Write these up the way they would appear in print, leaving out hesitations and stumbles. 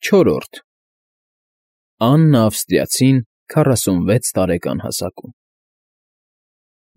Չորրորդ Աննա Ավստրիացին 46 տարեկան հասակում։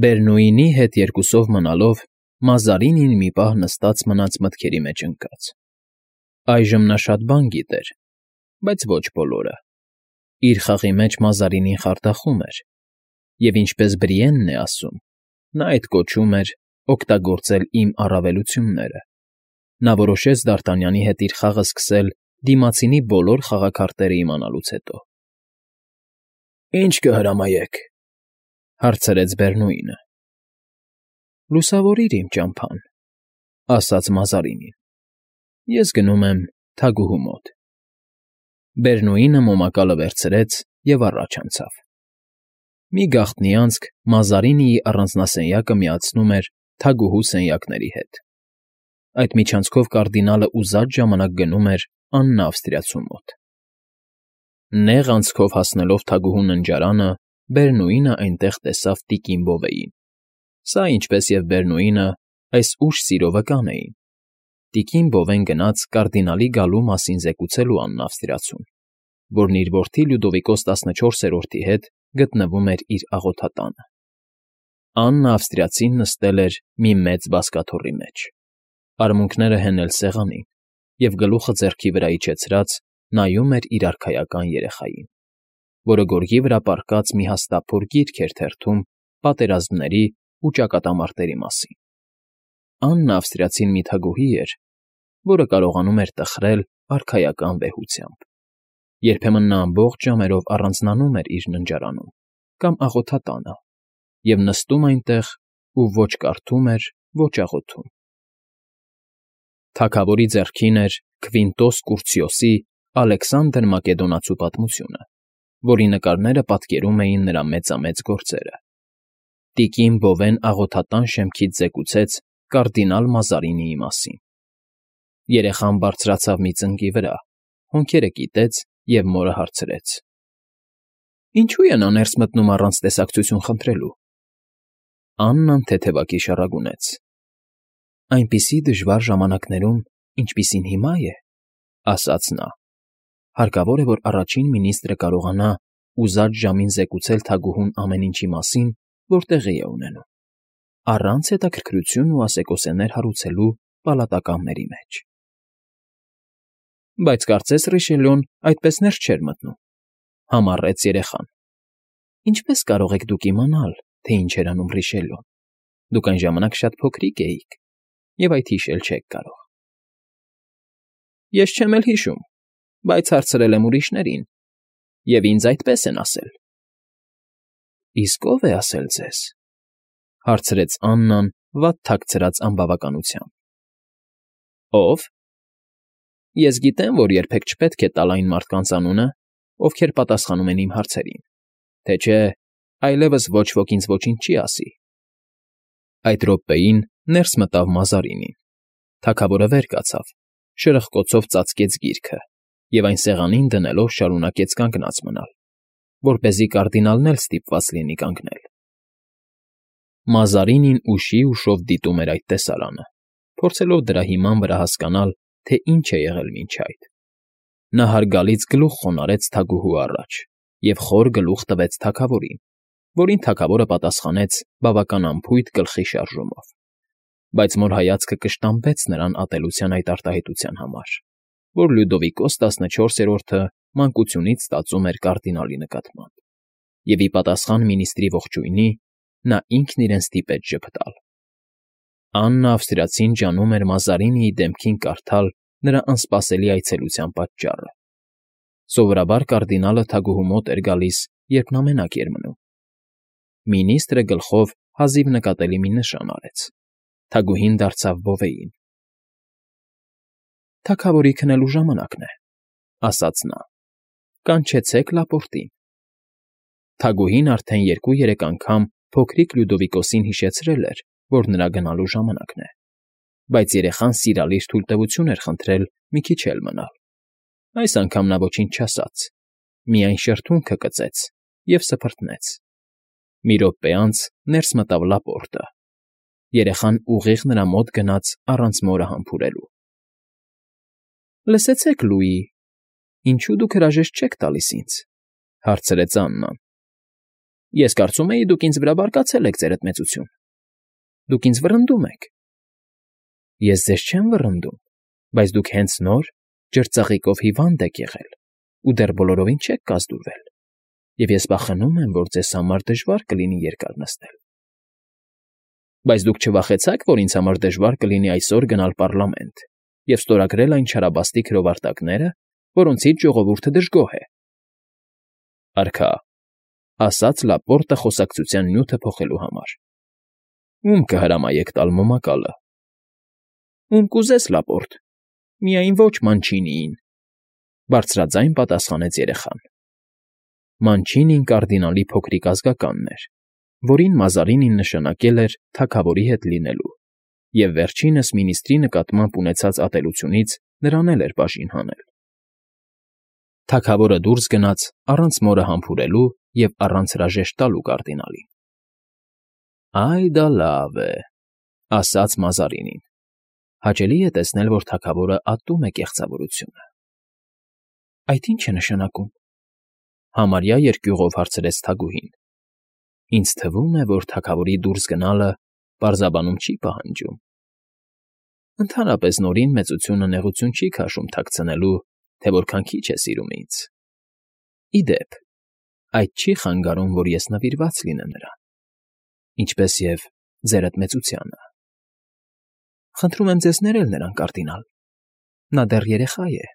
Բերնուինի հետ երկուսով մնալով Մազարինին մի պահ նստած մնաց մտքերի մեջ ընկած։ Այժմ նա շատ բան գիտեր, բայց ոչ բոլորը։ Իր խաղի մեջ Մազարինին խարդախում էր, և ինչպես Բրիենն է ասում, նա այդ կոչում էր օգտագործել իմ առավելությունները։ Նա որոշեց Դարտանյանի հետ իր խաղը սկսել դիմացինի բոլոր խաղաքարտերը իմանալուց հետո։ ֊ Ի՞նչ կհրամայեք,֊ հարցրեց Բերնուինը։ ֊ Լուսավորիր իմ ճամփան,֊ ասաց Մազարինին։ Ես գնում եմ թագուհու մոտ։ Բերնուինը մոմակալը վերցրեց և առաջ անցավ։ Մի գաղտնի անցք Մազարինիի առանձնասենյակը միացնում էր թագուհու սենյակների հետ։ Այդ միջանցքով կարդինալը ուզած ժամանակ գնում էր Աննա Ավստրիացու մոտ։ Նեղ անցքով հասնելով թագուհու ննջարանը, Բերնուինը այնտեղ տեսավ տիկին Բովեին։ Սա, ինչպես և Բերնուինը, այս ուշ սիրո վկան էին։ Տիկին Բովեն գնաց կարդինալի գալու մասին զեկուցելու Աննա Ավստրիացուն, որն իր որդի Լյուդովիկոս 14-րդի հետ գտնվում էր իր աղոթատանը։ Աննա Ավստրիացին նստել էր մի մեծ բազկաթոռի մեջ, արմունկները հենել սեղանին և գլուխը ձեռքի վրա իջեցրած նայում էր իր արքայական երեխային, որը գորգի վրա պառկած մի հաստափոր գիրք էր թերթում պատերազմների ու ճակատամարտերի մասին։ Աննա Ավստրիացին մի թագուհի էր, որը կարողանում էր տխրել արքայական վեհությամբ։ Երբեմն նա ամբողջ ժամերով առանձնանում էր իր ննջարանում կամ աղոթատանը և նստում այնտեղ ու ոչ կարդում էր, ոչ աղոթում։ Թագավորի ձեռքին էր Քվինտոս Կուրցիոսի Ալեքսանդր Մակեդոնացու պատմությունը, որի նկարները պատկերում էին նրա մեծամեծ գործերը։ Տիկին Բովեն աղոթատան շեմքից զեկուցեց կարդինալ Մազարինիի մասին։ Երեխան բարձրացավ մի ծնկի վրա, հոնքերը կիտեց և մորը հարցրեց. «Ինչո՞ւ է նա ներս մտնում առանց տեսակցություն խնդրելու»։ Աննան թեթևակի շառագունեց. «Այնպիսի դժվար ժամանակներում, ինչպիսին հիմա է,֊ ասաց նա,֊ հարկավոր է, որ առաջին մինիստրը կարողանա ուզած ժամին զեկուցել թագուհուն ամեն ինչի մասին, որ տեղի է ունենում, առանց հետաքրքրություն ու ասեկոսեներ հարուցելու պալատականների մեջ»։ Բայց կարծես Ռիշելյոն այդպես ներս չէր մտնում,֊ համառեց երեխան։ «Ինչպե՞ս կարող եք դուք իմանալ, թե ինչ էր անում Ռիշելյոն. դուք այն ժամանակ շատ փոքրիկ էիք և այդ հիշել չեք կարող»։ «Ես չեմ էլ հիշում, բայց հարցրել եմ ուրիշներին, և ինձ այդպես են ասել»։ «Իսկ ո՞վ է ասել ձեզ,֊ հարցրեց Աննան վատ թաքցրած անբավականությամբ։ «Ո՞վ։ Ես գիտեմ, որ երբեք չպետք է տալ այն մարդկանց անունը, ովքեր պատասխանում են իմ հարցերին, թե չէ այլևս ոչ ոք ինձ ոչինչ չի ասի»։ Այդ րոպեին ներս մտավ Մազարինին։ Թագավորը վեր կացավ, շրխկոցով ծածկեց գիրքը և այն սեղանին դնելով շարունակեց կանգնած մնալ, որպեսզի կարդինալն էլ ստիպված լինի կանգնել։ Մազարինին ուշիև դիտում էր այդ տեսարանը, փորձելով դրա հիման վրա հասկանալ, թե ինչ է եղել մինչ այդ։ Նա հարգալից գլուխ խոնարհեց թագուհու առաջ և խոր գլուխ տվեց թագավորին, որին թագավորը պատասխանեց բավական անփույթ գլխի շարժումով, բայց նոր հայացքը կշտամբեց նրան ատելության այդ արտահայտության համար, որ Լյուդովիկոս 14-րդը մանկությունից ստացում էր կարդինալի նկատմամբ, և ի պատասխան մինիստրի ողջույնի նա ինքն իրեն ստիպեց ժպտալ։ Աննա Ավստրիացին ջանում էր Մազարինիի դեմքին կարդալ նրա անսպասելի այցելության պատճառը։ Սովորաբար կարդինալը թագուհու մոտ էր գալիս, երբ նա մենակ էր մնում։ Մինիստրը գլխով հազիվ նկատելի մի նշան արեց։ Թագուհին դարձավ Բովեին։ «Թագավորի քնելու ժամանակն է,֊ ասաց նա,֊ կանչեցեք Լապորտին»։ Թագուհին արդեն 2-3 անգամ փոքրիկ Լյուդովիկոսին հիշեցրել էր, որ նրա գնալու ժամանակն է, բայց երեխան սիրալիր թույլտվություն էր խնդրել մի քիչ էլ մնալ։ Այս անգամ նա ոչինչ չասաց, միայն շրթունքը կծեց և սփռտնեց։ Մի րոպե անց ներս մտավ Լապորտը։ Երեխան ուղիղ նրա մոտ գնաց առանց մորը համբուրելու։ ֊ Լսեցե՞ք, Լուի,֊ Ինչու դուք հրաժեշտ չեք տալիս ինձ,֊ հարցրեց Աննան։ Ես կարծում էի, դուք ինձ վրա բարկացել եք, ձերդ մեծություն։ Դուք ինձ վռնդում եք։ Ես ձեզ չեմ վռնդում, բայց դուք հենց նոր ջրծաղիկով հիվանդ եք եղել ու դեռ բոլորովին չեք կազդուրվել, և ես վախենում եմ, որ ձեզ համար դժվար կլինի երկար նստել։ Բայց դուք չվախեցաք, որ ինձ համար դժվար կլինի այսօր գնալ պառլամենտ և ստորագրել այն չարաբաստիկ հրովարտակները, որոնցից ժողովուրդը դժգոհ է։ Արքա, ասաց Լապորտը խոսակցության նյութը փոխելու համար։ Ում կհրամայեք տալ մոմակալը։ Ում կուզես, Լապորտ, միայն ոչ Մանչինիին, բարձրաձայն պատասխանեց երեխան։ Մանչինին կարդինալի փոքրիկ ազգականն էր, որին Մազարինին նշանակել էր թագավորի հետ լինելու, և վերջինս մինիստրի նկատմամբ ունեցած ատելությունից նրան էլ էր բաժին հանել։ Թագավորը դուրս գնաց առանց մորը համբուրելու և առանց հրաժեշտ տալու կարդինալին։ Այ դա լավ է,֊ ասաց Մազարինին։ Հաճելի է տեսնել, որ թագավորը ատում է կեղծավորությունը։ Այդ ի՞նչ է նշանակում,֊ համարյա երկյուղով հարցրեց թագուհին։ Ինձ թվում է, որ թագավորի դուրս գնալը պարզաբանում չի պահանջում։ Ընդհանրապես նորին մեծությունը նեղություն չի քաշում թաքցնելու, թե որքան քիչ է սիրում ինձ։ Ի դեպ, այդ չի խանգարում, որ ես նվիրված լինեմ նրան, ինչպես և ձերդ մեծությանը։ Խնդրում եմ ձեզ ներել նրան, կարդինալ։ Նա դեռ երեխա է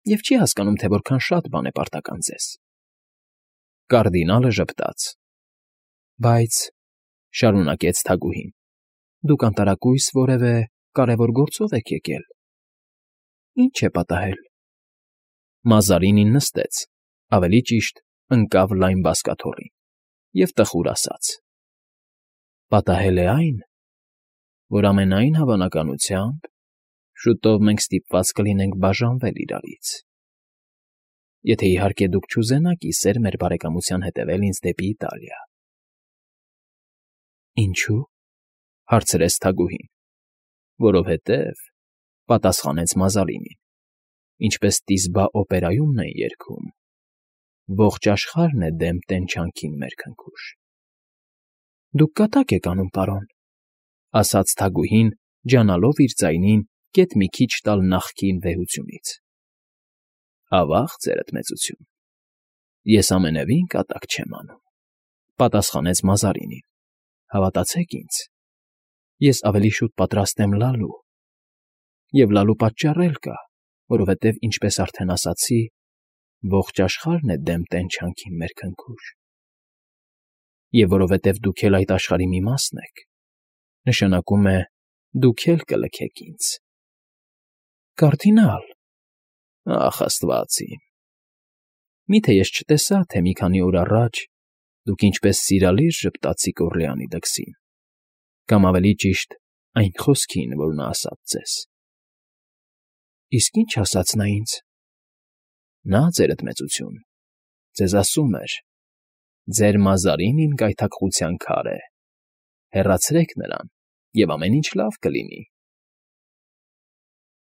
և չի հասկանում, թե որքան շատ բան է պարտական ձեզ։ Կարդինալը ժպտաց։ Բայց,֊ շարունակեց թագուհին, դուք անտարակույս որևէ կարևոր գործով եք եկել։ Ինչ է պատահել։ Մազարինին նստեց, ավելի ճիշտ ընկավ լայն բազկաթոռին և տխուր ասաց. Պատահել է այն, որ ամենայն հավանականությամբ շուտով մենք ստիպված կլինենք բաժանվել իրարից։ Եթե իհարկե դուք չուզենաք ի սեր մեր բարեկամության հետևել ինձ դեպի Իտալիա։ Ինչու՞, հարցրեց թագուհին։ Որովհետև,֊ պատասխանեց Մազարինին, ինչպես Տիսբա օպերայումն են երգում, ողջ աշխարհն է դեմ տենչանքին մեր քնքուշ։ Դուք կատակ եք անում, պարոն,֊ ասաց թագուհին, ջանալով իր ձայնին գեթ մի քիչ տալ նախկին վեհությունից։ Ավա՜ղ, ձերդ մեծություն, ես ամենևին կատակ չեմ անում,֊ պատասխանեց Մազարինին։ Հավատացեք ինձ, ես ավելի շուտ պատրաստ եմ լալու։ Եվ լալու պատճառ էլ կա, որովհետև, ինչպես արդեն ասացի, ողջ աշխարհն է դեմ տենչանքին մեր քնքուշ։ Եվ որովհետև դուք էլ այդ աշխարհի մի մասն եք, նշանակում է, դուք էլ կլքեք ինձ։ Կարդինալ,֊ Ախ, աստված իմ… Միթե ես չտեսա, թե մի քանի օր առաջ դուք ինչպես սիրալիր ժպտացիք Օռլեանի դքսին, կամ ավելի ճիշտ այն խոսքին, որ նա ասաց ձեզ։ Իսկ ի՞նչ ասաց նա ինձ։ Նա, ձերդ մեծություն, ձեզ ասում էր. ձեր Մազարինին գայթակղության քար է, հեռացրեք նրան, և ամեն ինչ լավ կլինի։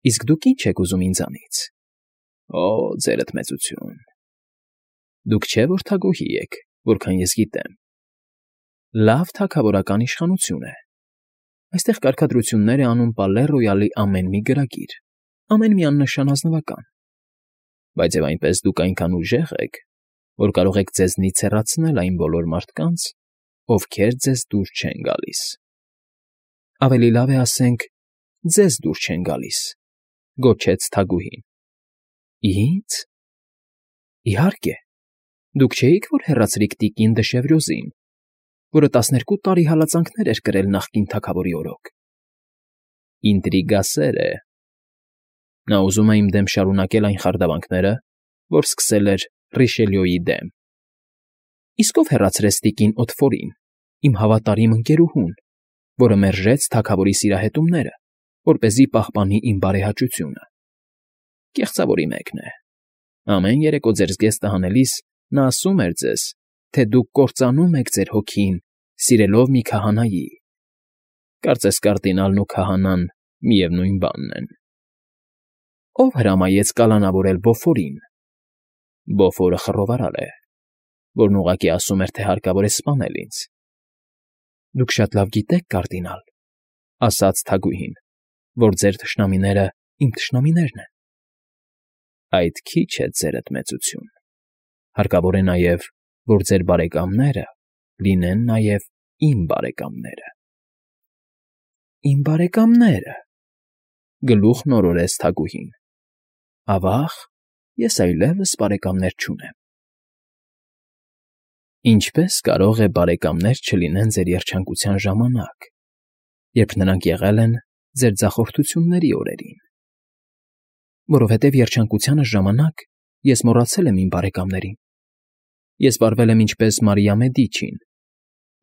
Իսկ դուք ի՞նչ եք ուզում ինձանից։ Օ, ձերդ մեծություն… Դուք չէ՞ որ թագուհի եք, որքան ես գիտեմ։ Լավ թագավորական իշխանություն է։ Այստեղ կարգադրություններ է անում Պալե Ռոյալի ամեն մի գրագիր, ամեն մի աննշան ազնվական։ Բայց և այնպես դուք այնքան ուժեղ եք, որ կարող եք ձեզնից հեռացնել այն բոլոր մարդկանց, ովքեր ձեզ դուր չեն գալիս։ Ավելի լավ է ասենք, ձեզ դուր չեն գալիս,֊ գոչեց թագուհին։ Ի՞նձ։ Իհարկե, դուք չէիք, որ հեռացրիք տիկին դը Շևրյոզին, որը 12 տարի հալածանքներ էր կրել նախկին թագավորի օրոք։ Ինտրիգասեր է։ Նա ուզում է իմ դեմ շարունակել այն խարդավանքները, որ սկսել էր Ռիշելյոյի դեմ։ Իսկ ով հեռացրեց տիկին Օտֆորին, իմ հավատարիմ ընկերուհուն, որը մերժեց թագավորի սիրահետումները, որպեսզի պահպանի իմ բարեհաճությունը։ Կեղծավորի մեկն է։ Ամեն երեկո ձեր զգեստը հանելիս նա ասում էր ձեզ, թե դուք կործանում եք ձեր հոգին, սիրելով մի քահանայի։ Կարծես կարդինալն ու քահանան միևնույն բանն են։ Ո՞վ հրամայեց կալանավորել Բոֆորին, Բոֆորը խռովարար է, որն ուղղակի ասում էր, թե հարկավոր է սպանել ինձ։ ֊ Դուք շատ լավ գիտեք, կարդինալ, ֊ ասաց թագուհին, ֊ որ ձեր թշնամիները իմ թշնամիներն են։ Այդ քիչ է, ձերդ մեծություն, հարկավոր է նաև, որ ձեր բարեկամները լինեն նաև իմ բարեկամները։ ֊ Իմ բարեկամները, ֊ գլուխ նորորեց թագուհին, ֊ ավա՜ղ, ես այլևս բարեկամներ չունեմ։ ֊ Ինչպե՞ս կարող է բարեկամներ չլինեն ձեր երջանկության ժամանակ, երբ նրանք եղել են ձեր ձախորդությունների օրերին։ ֊ Որովհետև երջանկությանս ժամանակ ես մոռացել եմ իմ բարեկամներին։ Ես վարվել եմ ինչպես Մարիա Մեդիչին,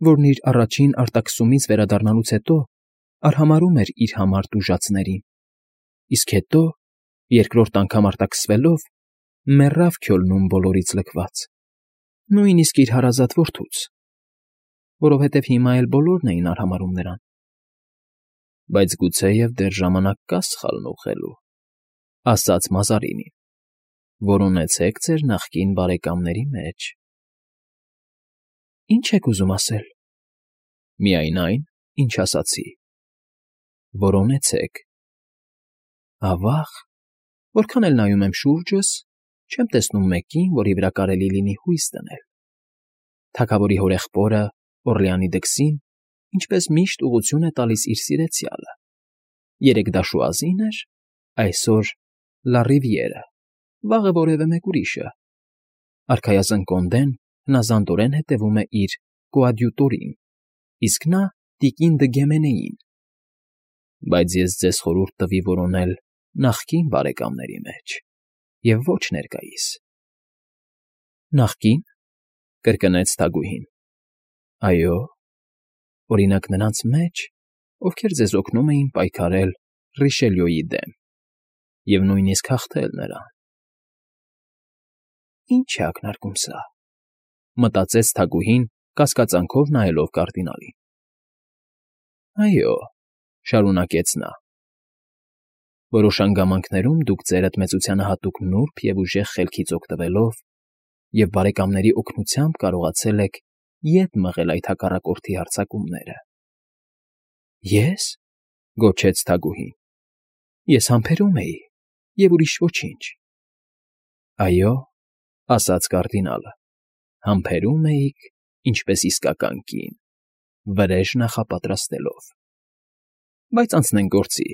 որն իր առաջին արտաքսումից վերադառնալուց հետո արհամարհում էր իր համար տուժածներին, իսկ հետո, երկրորդ անգամ արտաքսվելով, մեռավ Քյոլնում բոլորից լքված, նույնիսկ իր հարազատ որդուց, որովհետև հիմա էլ բոլորն էին արհամարհում նրան։ Բայց գուցեև դեռ ժամանակ կա սխալն ուղղելու, ֊ ասաց Մազարինին, ֊ որ ունեցեք ձեր նախկին բարեկամների մեջ։ ֊ Ի՞նչ եք ուզում ասել։ ֊ Միայն այն, ինչ ասացի, որ ունեցեք։ ֊ Ավա՜ղ, որքան էլ նայում եմ շուրջս, չեմ տեսնում մեկին, որի վրա կարելի լինի հույս դնել։ Թագավորի հորեղբորը Օռլեանի դքսին, ինչպես միշտ ուղղություն է տալիս իր սիրեցյալը. երեկ դա Շուազին էր, այսօր Լարիվիերը, վաղը որևէ մեկ ուրիշը։ Արքայազն Կոնդեն հնազանդորեն հետևում է իր կոադյուտորին, իսկ նա տիկին Դը Գեմենեին։ Բայց ես ձեզ խորհուրդ տվի որոնել նախկին բարեկամների մեջ և ոչ ներկայիս։ ֊ Նախկի՞ն, ֊ կրկնեց թագուհին։ ֊ Այո, օրինակ նրանց մեջ, ովքեր ձեզ օգնում էին պայքարել Ռիշելյոյի դեմ և նույնիսկ հաղթել նրան։ «Ի՞նչ է ակնարկում սա», ֊ մտածեց թագուհին, կասկածանքով նայելով կարդինալին։ ֊ Այո, ֊ շարունակեց նա, ֊ որոշ հանգամանքներում դուք ձերդ մեծությանը հատուկ նուրբ և ուժեղ խելքից օգտվելով և բարեկամների օգնությամբ կարողացել եք ետ մղել այդ հակառակորդի հարձակումները։ ֊ Ե՞ս, ֊ գոչեց թագուհին, ֊ ես համբերում էի և ուրիշ ոչինչ։ ֊ Այո, ֊ ասաց կարդինալը, ֊ համբերում էիք, ինչպես իսկական կին, վրեժ նախապատրաստելով։ Բայց անցնենք գործի։